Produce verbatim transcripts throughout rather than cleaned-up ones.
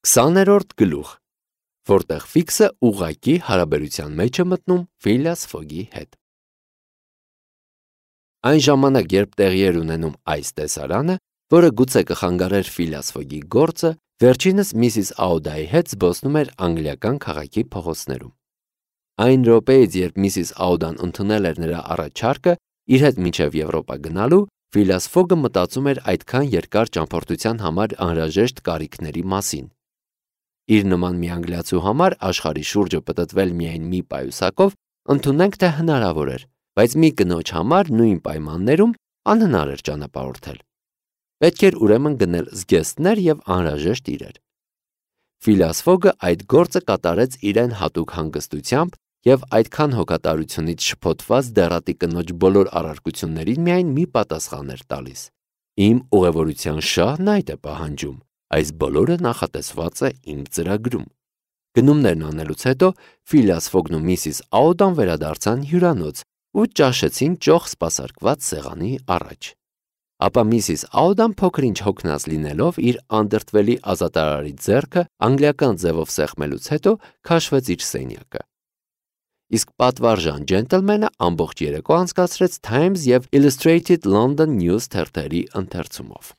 քսաներորդ գլուխ, որտեղ Ֆիքսը ուղղակի հարաբերության մեջ է մտնում Ֆիլիաս Ֆոգի հետ։ Այն ժամանակ, երբ տեղի էր ունենում այս տեսարանը, որը գուցե կխանգարեր Ֆիլիաս Ֆոգի գործը, վերջինս միսիս Աուդայի հետ զբոսնում էր անգլիական քաղաքի փողոցներում։ Այն րոպեից, երբ միսիս Աուդան ընդունել էր նրա առաջարկը իր հետ մինչև Եվրոպա գնալու, Ֆիլիաս Ֆոգը մտածում էր այդքան երկար ճամփորդության համար անհրաժեշտ կարիքների մասին։ Իր նման մի անգլիացու համար աշխարհի շուրջը պտտվել միայն մի պայուսակով ընդունենք, թե հնարավոր էր, բայց մի կնոջ համար նույն պայմաններում անհնար էր ճանապարհորդել։ Պետք էր ուրեմն գնել զգեստներ եւ անհրաժեշտ իրեր։ Ֆիլիաս Ֆոգը այդ գործը կատարեց իրեն հատուկ հանգստությամբ եւ այդքան հոգատարությունից շփոթված դեռատի կնոջ բոլոր առարկություններին միայն մի պատասխան էր տալիս. Իմ ուղևորության շահն այդ է պահանջում, այս բոլորը նախատեսված է իմ ծրագրում։ Գնումներն անելուց հետո Ֆիլիաս Ֆոգն ու միսիս Աուդան վերադարձան հյուրանոց ու ճաշեցին ճոխ սպասարկված սեղանի առաջ։ Ապա միսիս Աուդան փոքր-ինչ հոգնած լինելով իր անդրդվելի ազատարարի ձեռքը անգլիական ձևով սեղմելուց հետո քաշվեց իր սենյակը։ Իսկ պատվարժան ջենտլմենը ամբողջ երեկո անցկացրեց Times եւ Illustrated London News թերթերի ընթերցումով։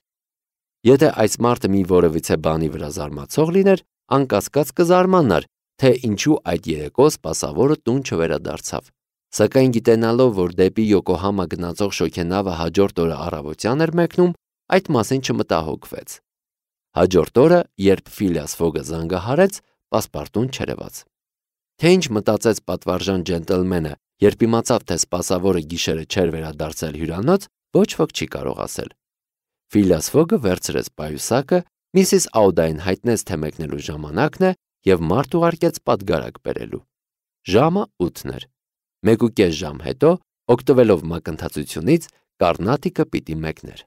Եթե այս մարդը մի որևիցե բանի վրա զարմացող լիներ, անկասկած կզարմանար, թե ինչու այդ երեկո սպասավորը տուն չվերադարձավ։ Սակայն գիտենալով, որ դեպի Յոկոհամա գնացող շոգենավը հաջորդ օրը առավոտյան էր մեկնում, այդ մասին չմտահոգվեց։ Հաջորդ օրը, երբ Ֆիլիաս Ֆոգը զանգահարեց, պասպարտուն չերևաց։ Թե ինչ մտածեց պատվարժան ջենտլմենը, երբ իմացավ, թե սպասավորը գիշերը չէր վերադարձել հյուրանոց, ոչ ոք չի կարող ասել։ Ֆիլիաս Ֆոգը վերցրեց պայուսակը, միսիս Աուդային հայտնեց, թե մեկնելու ժամանակն է եւ մարդ ուղարկեց պատգարակ բերելու։ Ժամը ութն էր։ Մեկուկես ժամ հետո, օգտվելով մակընթացությունից, Կարնատիկը պիտի մեկներ։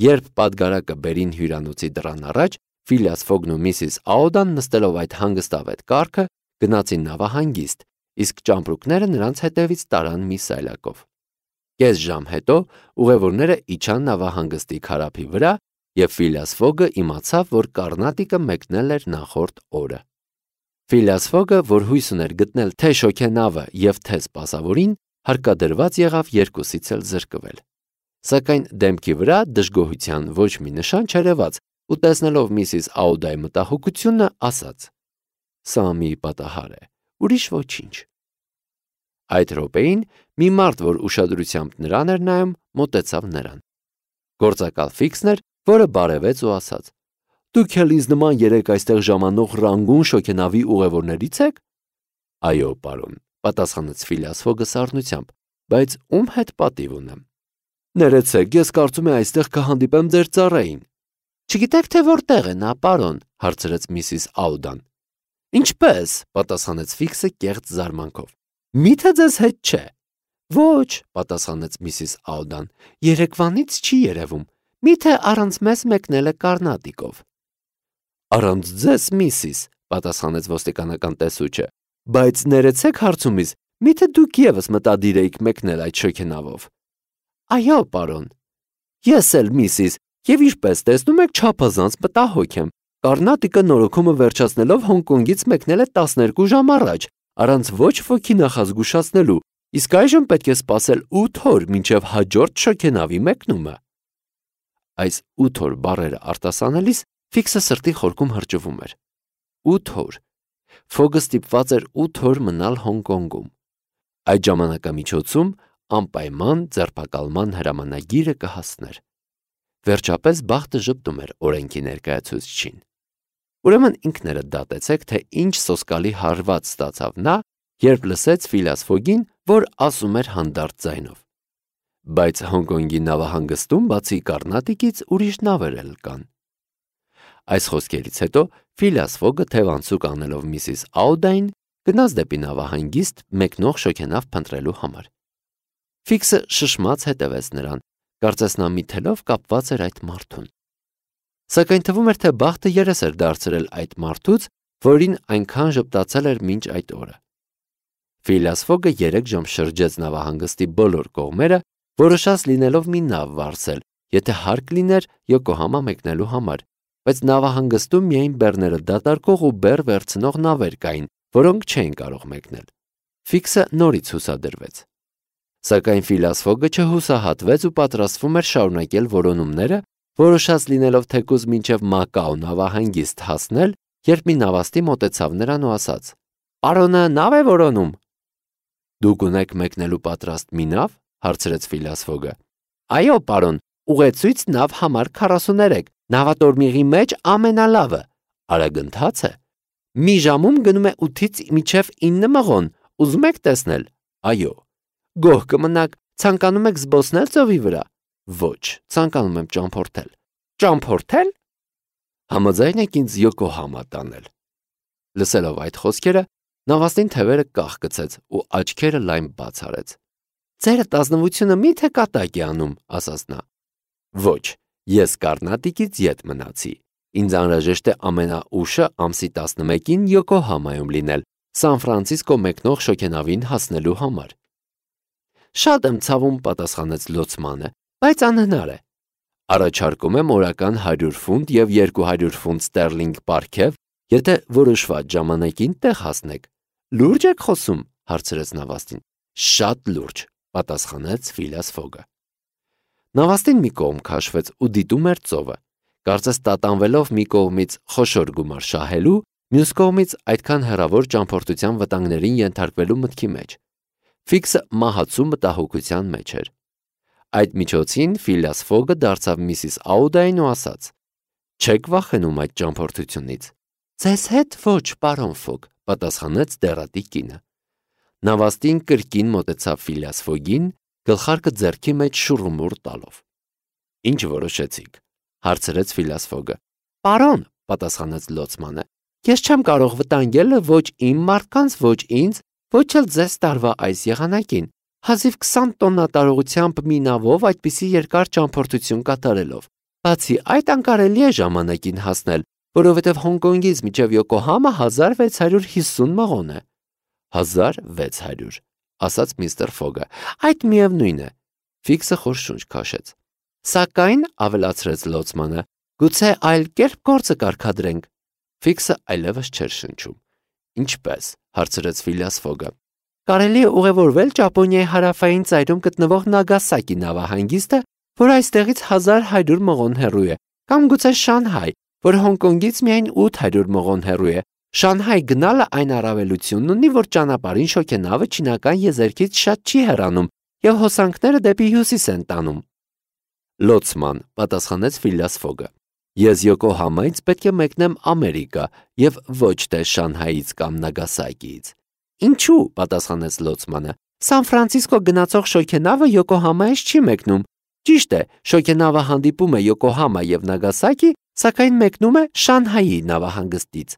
Երբ պատգարակը բերին հյուրանոցի դռան առաջ, Ֆիլիաս Ֆոգն ու միսիս Աուդան նստելով այդ հանգստավետ կառքը գնացին նավահանգիստ, իսկ ճամպրուկները նրանց հետևից տարան մի սայլակով։ Կես ժամ հետո ուղևորները իջան նավահանգստի քարափի վրա, եւ Ֆիլիաս Ֆոգը իմացավ, որ Կարնատիկը մեկնել էր նախորդ օրը։ Ֆիլիաս Ֆոգը, որ հույս ուներ գտնել թե շոգենավը եւ թե սպասավորին, հարկադրված եղավ երկուսից էլ զրկվել։ Սակայն դեմքի վրա դժգոհության ոչ մի նշան չերևաց, ու տեսնելով միսիս Աուդայի մտահոգությունը, ասաց. «Սա մի պատահար է, ուրիշ ոչինչ»։ Այդ րոպեին մի մարդ, որ ուշադրությամբ նրան էր նայում, մոտեցավ նրան։ Գործակալ Ֆիքսն էր, որը բարևեց ու ասաց. «Դուք էլ ինձ նման երեք այստեղ ժամանող Ռանգուն շոգենավի ուղևորներից եք»։ «Այո, պարոն», պատասխանեց Ֆիլիաս Ֆոգը սառնությամբ, «բայց ում հետ պատիվ ունեմ»։ «Ներեցեք, ես կարծում եմ այստեղ կհանդիպեմ ձեր ծառային»։ «Չգիտեք, թե որտեղ է նա, պարոն», հարցրեց միսիս Աուդան։ «Ինչպե՞ս», պատասխանեց Ֆիքսը կեղծ զարմանքով։ «Միթե ձեզ հետ չէ»։ «Ոչ», պատասխանեց միսիս Աուդան, «երեկվանից չի երևում, միթե առանց մեզ մեկնել է Կարնատիկով»։ «Առանց ձեզ, միսիս», պատասխանեց ոստիկանական տեսուչը, «բայց ներեցեք հարցումից, միթե դուք եւս մտադիր էիք մեկնել այդ շոգենավով»։ «Այո, պարոն»։ «Ես էլ, միսիս, եւ ինչպես տեսնում եք, չափազանց մտահոգ եմ։ Կարնատիկը նորոգումը վերջացնելով Հոնկոնգից մեկնել է տասներկու ժամ առաջ, առանց ոչ ոքի նախազգուշացնելու, իսկ այժմ պետք է սպասել ութ օր, մինչև հաջորդ շոգենավի մեկնումը»։ Այս ութ օր բառերը արտասանելիս Ֆիքսը սրտի խորքում հրճվում էր։ ութ օր։ Ֆոգը ստիպված էր ութ օր մնալ Հոնկոնգում։ Այդ ժամանակամիջոցում անպայման ձերբակալման հրամանագիրը կհասներ։ Վերջապես բախտը ժպտում էր օրենքի ներկայացուցչին։ Ուրեմն ինքներդ դատեցեք, թե ինչ սոսկալի հարված ստացավ նա, երբ լսեց Ֆիլիաս Ֆոգին, որ ասում էր հանդարտ ձայնով. «Բայց Հոնկոնգի նավահանգստում բացի Կարնատիկից ուրիշ նավեր էլ կան»։ Այս խոսքերից հետո Ֆիլիաս Ֆոգը թևանցուկ անելով միսիս Աուդային գնաց դեպի նավահանգիստ մեկնող շոգենավ փնտրելու համար։ Ֆիքսը շշմած հետևեց նրան, կարծես նա մի թելով կապված էր այդ մարդուն։ Սակայն թվում էր, թե բախտը երես էր դարձրել այդ մարդուց, որին այնքան ժպտացել էր մինչ այդ օրը։ Ֆիլիաս Ֆոգը երեք ժամ շրջեց նավահանգստի բոլոր կողմերը, որոշած լինելով մի նավ վարձել, եթե հարկ լիներ Յոկոհամա մեկնելու համար, բայց նավահանգստում միայն բեռները դատարկող ու բեռ վերցնող նավեր կային, որոնք չէին կարող մեկնել։ Ֆիքսը նորից հուսադրվեց։ Սակայն Ֆիլիաս Ֆոգը չհուսահատվեց ու պատրաստվում էր շարունակել որոնումները, որոշած լինելով թեկուզ մինչև Մակաո նավահանգիստ հասնել, երբ մի նավաստի մոտեցավ նրան ու ասաց. «Պարոնը նավ է որոնում»։ «Դուք ունեք մեկնելու պատրաստ մի նավ»։ Հարցրեց Ֆիլիաս Ֆոգը։ «Այո, պարոն, ուղեցույց նավ համար քառասուներեք, նավատորմիղի մեջ ամենալավը, արագընթաց է։ Մի ժամում գնում է ութից մինչև ինը մղոն, ուզում եք տեսնել։ Այո։ Գոհ կմնաք, ցանկանում եք զբոսնել ծովի վրա։ Ոչ, ցանկանում եմ ճամփորդել։ Ճամփորդել։ Համաձայն եք ինձ Յոկոհամա տանել»։ Լսելով այդ խոսքերը, նավաստին թևերը կախկցեց ու աչքերը լայն բաց արեց։ «Ձերդ ազնվությունը մի՞թե կատակ է անում», ասաց նա։ «Ոչ, ես Կառնատիկից ետ մնացի։ Ինձ անհրաժեշտ է ամենաուշը ամսի տասնմեկին Յոկոհամայում լինել, Սան Ֆրանցիսկո մեկնող շոգենավին հասնելու համար»։ «Շատ եմ ցավում», պատասխանեց լոցմանը, «բայց անհնար է։ Առաջարկում եմ օրական հարյուր ֆունտ և երկու հարյուր ֆունտ ստերլինգ պարգև, եթե որոշված ժամանակին տեղ հասնեք»։ «Լուրջ եք խոսում», հարցրեց նավաստին։ «Շատ լուրջ», պատասխանեց Ֆիլիաս Ֆոգը։ Նավաստին մի կողմ քաշվեց ու դիտում էր ծովը, կարծես տատանվելով մի կողմից խոշոր գումար շահելու, մյուս կողմից այդքան հեռավոր ճամփորդության վտանգներին ենթարկվելու մտքի մեջ։ Ֆիքսը մահացու մտահոգության մեջ էր։ Այդ միջոցին Ֆիլիաս Ֆոգը դարձավ միսիս Աուդային ու ասաց. «Չեք վախենում այդ ճամփորդությունից»։ «Ձեզ հետ ոչ, պարոն Ֆոգ», պատասխանեց դեռատի կինը։ Նավաստին կրկին մոտեցավ Ֆիլիաս Ֆոգին, գլխարկը ձեռքի մեջ շուռումուռ տալով։ «Ինչ որոշեցիք», հարցրեց Ֆիլիաս Ֆոգը։ «Պարոն», պատասխանեց լոցմանը, «ես չեմ կարող վտանգել ոչ իմ մարդկանց, ոչ ինձ, ոչ էլ ձեզ տարվա այս եղանակին, հազիվ քսան տոննա տարողությամբ մի նավով այդպիսի երկար ճամփորդություն կատարելով։ Բացի այդ, անկարելի է ժամանակին հասնել, որովհետև Հոնկոնգից մինչև Յոկոհամա հազար վեց հարյուր հիսուն մղոն է»։ «Հազար վեց հարյուր», ասաց միստր Ֆոգը։ «Այդ միևնույն է»։ Ֆիքսը խոր շունչ քաշեց։ «Սակայն», ավելացրեց լոցմանը, «գուցե այլ կերպ գործը կարգադրենք»։ Ֆիքսը այլևս չէր շնչում։ «Ինչպե՞ս», հարցրեց Ֆիլիաս Ֆոգը։ «Կարելի է ուղևորվել Ճապոնիայի հարավային ծայրում գտնվող Նագասակի նավահանգիստը, որ այստեղից հազար հարյուր մղոն հեռու է, կամ գուցե Շանհայ, որ Հոնկոնգից միայն ութ հարյուր մղոն հեռու է։ Շանհայ գնալը այն առավելությունն ունի, որ ճանապարհին շոգենավը չինական եզերքից շատ չի հեռանում և հոսանքները դեպի հյուսիս են տանում»։ «Լոցման», պատասխանեց Ֆիլիաս Ֆոգը։ «Ես Յոկոհամայից պետք է մեկնեմ Ամերիկա և ոչ թե Շանհայից կամ Նագասակիից»։ «Ինչու», պատասխանեց լոցմանը, «Սան Ֆրանցիսկո գնացող շոգենավը Յոկոհամայից չի մեկնում։ Ճիշտ է, շոգենավը հանդիպում է Յոկոհամա և Նագասակի, սակայն մեկնում է Շանհայի նավահանգստից»։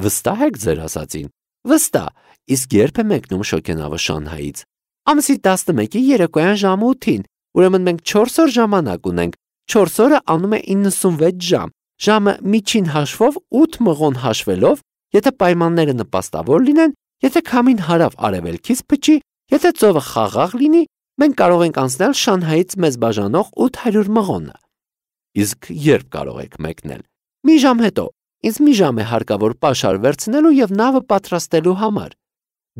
«Վստահ եք ձեր ասածին»։ «Վստահ։ Իսկ երբ է մեկնում շոգենավը Շանհայից»։ «Ամսի տասնմեկի երեկոյան ժամը ութին, ուրեմն մենք չորս օր ժամանակ ունենք։ Չորս օրը անում է իննսունվեց ժամ, ժամը միջին հաշվով ութ մղոն հաշվելով, եթե պայմանները նպաստավոր լինեն, եթե քամին հարավ-արևելքից փչի, եթե ծովը խաղաղ լինի, մենք կարող ենք անցնել Շանհայից մեզ բաժանող ութ հարյուր մղոնը»։ «Իսկ երբ կարող եք մեկնել»։ «Մի ժամ հետո։ Ինձ մի ժամ է հարկավոր պաշար վերցնելու և նավը պատրաստելու համար»։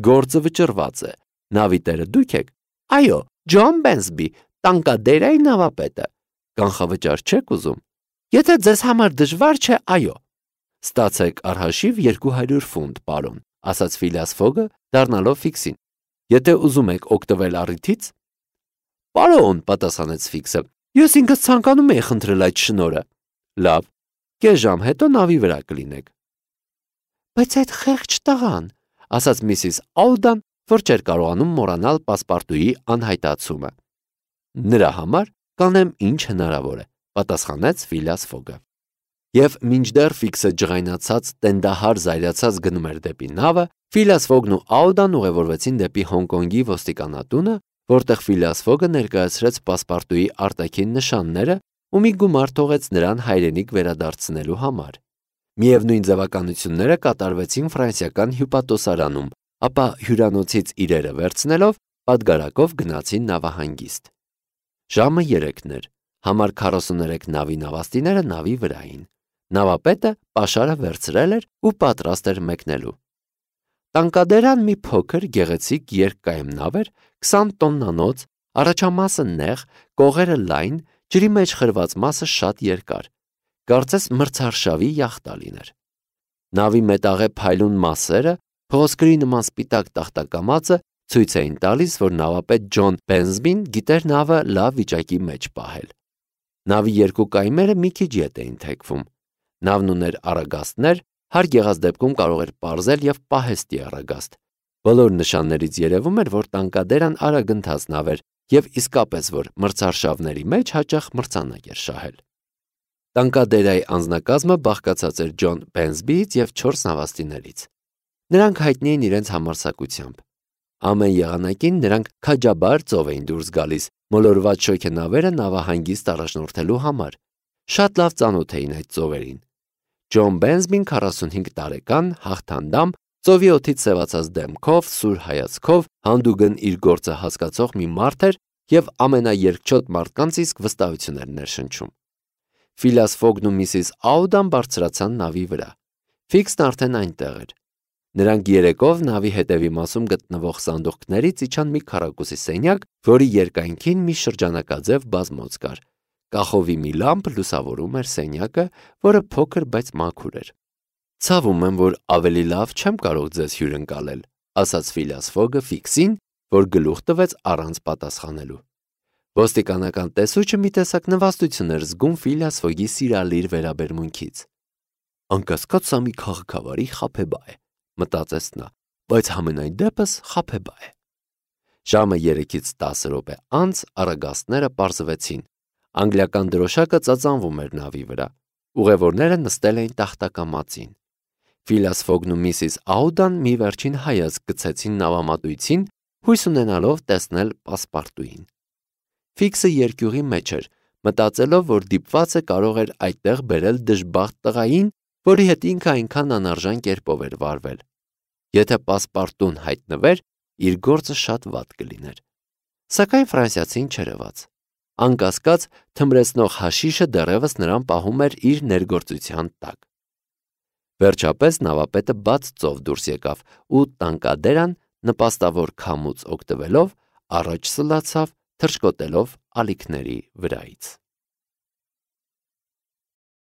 «Գործը վճռված է։ Նավի տերը դուք եք»։ «Այո, Ջոն Բենսբի, Տանկադերայի նավապետը»։ «Կանխավճար չեք ուզում»։ «Եթե ձեզ համար դժվար չէ, այո»։ «Ստացեք առհաշիվ երկու հարյուր ֆունտ, պարոն», ասաց Ֆիլիաս Ֆոգը, դառնալով Ֆիքսին։ «Եթե ուզում եք օգտվել առիթից»։ «Պարոն», պատասխանեց Ֆիքսը, «ես ինքս ցանկանում էի խնդրել այդ շնորհը»։ «Լավ, կես ժամ հետո նավի վրա կլինեք»։ «Բայց այդ խեղճ տղան», ասաց միսիս Աուդան, որ չէր կարողանում մոռանալ պասպարտուի անհայտացումը։ «Նրա համար կանեմ ինչ հնարավոր է», պատասխանեց Ֆիլիաս Ֆոգը։ Եվ մինչդեռ Ֆիքսը ջղայնացած, տենդահար զայրացած գնում էր դեպի նավը, Ֆիլիաս Ֆոգն ու Աուդան ուղևորվեցին դեպի Հոնկոնգի ոստիկանատունը, որտեղ Ֆիլիաս Ֆոգը ներկայացրեց պասպարտուի արտաքին նշանները ու մի գումար թողեց նրան հայրենիք վերադարձնելու համար։ Միևնույն ձևականությունները կատարվեցին ֆրանսիական հյուպատոսարանում, ապա հյուրանոցից իրերը վերցնելով պատգարակով գնացին նավահանգիստ։ Ժամը երեքն էր, համար քառասուներեք նավի նավաստիները նավի վրա էին։ Նավապետը պաշարը վերցրել էր ու պատրաստ էր մեկնելու։ Տանկադերան մի փոքր գեղեցիկ երկկայմ նավ էր, քսան տոննանոց, առաջամասը նեղ, կողերը լայն, ջրի մեջ խրված մասը շատ երկար, կարծես մրցարշավի յախտա լիներ։ Նավի մետաղե փայլուն մասերը, փղոսկրի նման սպիտակ տախտակամածը ցույց էին տալիս, որ նավապետ Ջոն Բենզբին գիտեր նավը լավ վիճակի մեջ պահել։ Նավի երկու կայմերը մի քիչ ետ էին թեքվում։ Նավն ուներ առագաստներ, հարկ եղած դեպքում կարող էր պարզել եւ պահեստի առագաստ։ Բոլոր նշաններից երևում էր, որ տանկադերան արագընթաց նավ էր եւ իսկապես որ մրցարշավների մեջ հաճախ մրցանակ էր շահել։ Տանկադերայի անձնակազմը բաղկացած էր Ջոն Բենզբիից եւ չորս նավաստիներից։ Նրանք հայտնի էին իրենց համարձակությամբ։ Ամեն եղանակին նրանք քաջաբար ծով էին դուրս գալիս, մոլորված շոգենավերը նավահանգիստ առաջնորդելու համար։ Շատ լավ ծանոթ էին այդ ծովերին։ Ջոն Բենզբին քառասունհինգ տարեկան, հաղթանդամ, ծովի օդից սևացած դեմքով, սուր հայացքով, հանդուգն իր գործը հասկացող մի մարդ էր եւ ամենաերկչոտ մարդկանց իսկ վստահություն էր ներշնչում։ Ֆիլաս Ֆոգն ու միսիս Աուդան բարձրացան նավի վրա։ Ֆիքսն արդեն այնտեղ էր։ Նրանք երեկով նավի հետևի մասում գտնվող սանդուղքներից իջան մի քառակուսի սենյակ, որի երկայնքին մի շրջանակաձև բազմոց կար։ Կախովի մի լամպ լուսավորում էր սենյակը, որը փոքր, բայց մաքուր էր։ Ցավում եմ, որ ավելի լավ չեմ կարող ձեզ հյուրընկալել, ասաց Ֆիլաս Ֆոգը Ֆիքսին, որ գլուխ տվեց առանց պատասխանելու։ Ոստիկանական տեսուչը մի տեսակ նվաստություն էր զգում Ֆիլաս Ֆոգի սիրալիր վերաբերմունքից։ Անկասկած սա մի քաղաքավարի խաբեբա է, մտածեց նա, բայց համենայն դեպս խաբեբա է։ Ժամը երեքից տասը րոպե անց առագաստները պարզվեցին։ Անգլիական դրոշակը ծածանվում էր նավի վրա։ Ուղևորները նստել էին տախտակամածին։ Ֆիլաս Ֆոգն ու միսիս Աուդան մի վերջին հայացք գցեցին նավամատույցին, հույս ունենալով տեսնել պասպարտուին։ Ֆիքսը երկյուղի մեջ էր, մտածելով, որ դիպվածը կարող էր այդտեղ բերել դժբախտ տղային, որի հետ ինքը այնքան անարժան կերպով էր վարվել։ Եթե պասպարտուն հայտնվեր, իր գործը շատ վատ կլիներ։ Սակայն ֆրանսիացին չերևաց։ Անկասկած, թմրեցնող հաշիշը դեռևս նրան պահում էր իր ներգործության տակ։ Վերջապես նավապետը բաց ծով դուրս եկավ ու տանկադերան նպաստավոր քամուց օգտվելով առաջ սլացավ, թռչկոտելով ալիքների վրայից։